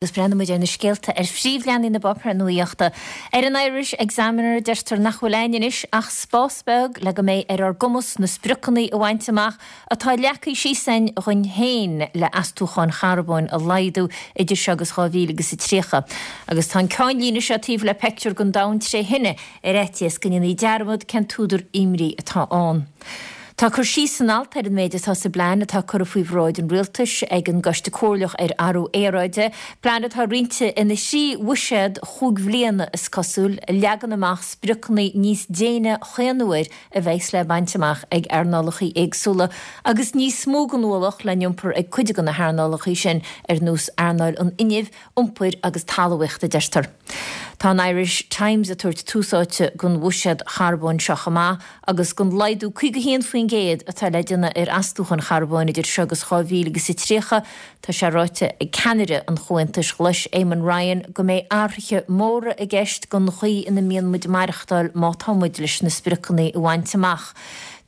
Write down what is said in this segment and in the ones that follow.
Agus breathnóidh muid ar na scéalta ar phríomhleathanaigh na bpáipéar nuaíochta. Ar an Irish Examiner deirtear nach bhfuil a'ainn anois ach spás beag le go mbeidh ar ár gcumas na spriocanna a bhaint amach atá leagtha síos a'ainn dhuinn féin le astúcháin charbóin a laghdú idir seo agus 2030. Agus tá an ceannlíne seo taobh le peictiúr den domhan tré thine ar fhaitíos go ndéanfaí dearmad cén t-údar imní atá ann. Tá cur síos san alt ar an méid atá sa bplean atá curtha faoi bhráid an Rialtais ag an gCoiste Comhairleach ar Athrú Aeráide, plean atá roinnte ina thrí bhuiséad chúig bhliana, is cosúil, a leagann amach spriocanna níos déine chaon uair a bheas le baint amach ag earnálacha éagsúla agus níos mó den ualach le n-iompar ag cuid de na hearnálacha sin ar nós earnáil an fhuinnimh, iompair agus talmhaíochta, a deirtear. Tá an Irish Times ag tabhairt tús áite don bhuiséad charbóin seo chomh maith agus don laghdú 51% atá le déanamh ar astúcháin charbóin idir seo agus 2030. Tá sé ráite ag ceannaire an Chomhaontais Ghlais, Eamon Ryan, go mbeidh athruithe móra i gceist don chaoi ina mbíonn muid ag maireachtáil má tá muid leis na spriocanna a bhaint amach.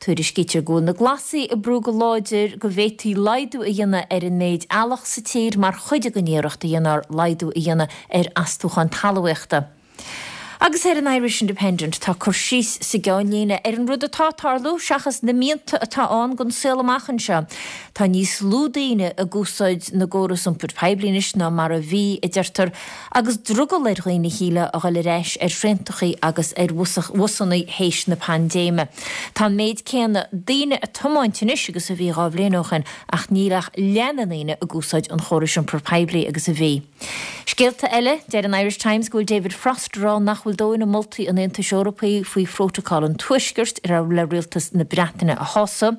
Tuairiscítear go bhfuil na Glasaigh ag brú go láidir go bhféadfaí laghdú a dhéanamh ar an méid eallach sa tír mar chuid den iarracht a dhéanfar laghdú a dhéanamh ar astúcháin talmhaíochta. Agus ar an Irish Independent tá cur síos sa gceannlíne ar an rud atá ag tarlú seachas na mianta atá ann don saol amach anseo. Tá níos lú daoine ag úsáid na gcóras iompair poiblí anois ná mar a bhí, a deirtear, Agus drogall ar dhaoine shílfeá a dhul ar ais ar thraentachaí agus ar bhusannaí théis na paindéime. Tá an méid céanna daoine ag tiomáint anois agus a bhí 2 bhliain ó shin ach níl ach leath na ndaoine ag úsáid an chórais iompair poiblí agus a bhí. Scéalta eile, Deir an Irish Times go bhfuil David Frost ag rá nach bhfuil dóthain i moltaí an Aontais Eorpaigh faoi Phrótacal an Tuaiscirt le rialtas na Breataine a shásamh.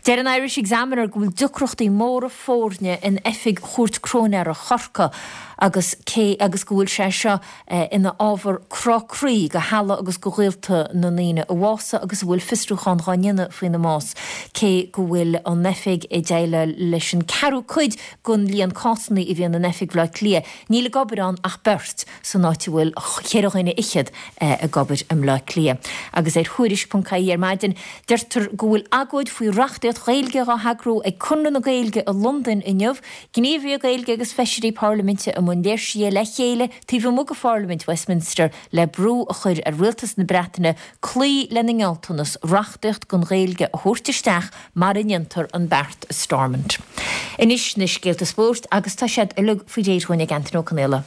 Deir an Irish Examiner go bhfuil deacrachtaí móra foirne in oifig Chúirt Cróinéara Chorcaí agus cé agus go bhfuil sé seo ina ábhar crá croí do theaghlaigh agus do ghaolta na ndaoine a bhásaigh agus a bhfuil fiosrúchán dhá ndéanamh faoina mbás, cé go bhfuil an oifig ag déileáil leis an ceathrú cuid den líon cásanna a bhíonn in oifig Bhaile Átha Cliath, níl ag obair ann ach beirt san áit a bhfuil cheithre dhuine fhichead ag obair i mBleá Cliath. Agus ar Thuairisc.ie ar maidin, deirtear go bhfuil agóid faoi reachtaíocht Ghaeilge dhá heagrú ag Conradh na Gaeilge i Londain inniu, Gníomhaithe Gaeilge agus feisirí parlaiminte i mbun léirsithe le chéile taobh amuigh de Pharlaimint Westminster le brú a chur ar rialtas na Breataine cloí lena ngealltanas reachtaíocht don Ghaeilge a thabhairt isteach mara ndéantar an beart i Stormont. Anois na scéalta spóirt agus tá siad uilig faoi réir dhúinn ag Antaine Ó Conaola.